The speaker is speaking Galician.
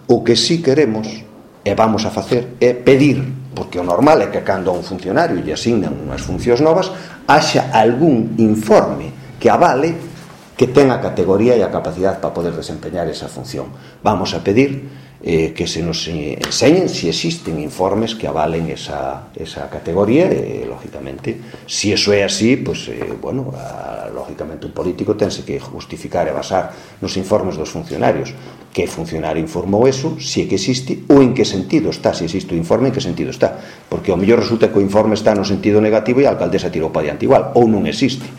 O que sí queremos e vamos a facer é pedir, porque o normal é que cando a un funcionario lle asignan unhas funcións novas haxa algún informe que avale que ten a categoría e a capacidade para poder desempeñar esa función. Vamos a pedir que se nos enseñen se existen informes que avalen esa categoría e, lógicamente, se eso é así, pues, lógicamente un político tense que justificar e basar nos informes dos funcionarios. Que funcionario informou eso, se é que existe ou en que sentido está, se existe o informe, en que sentido está, porque ao mellor resulta que o informe está no sentido negativo e a alcaldesa tirou para diante igual, ou non existe.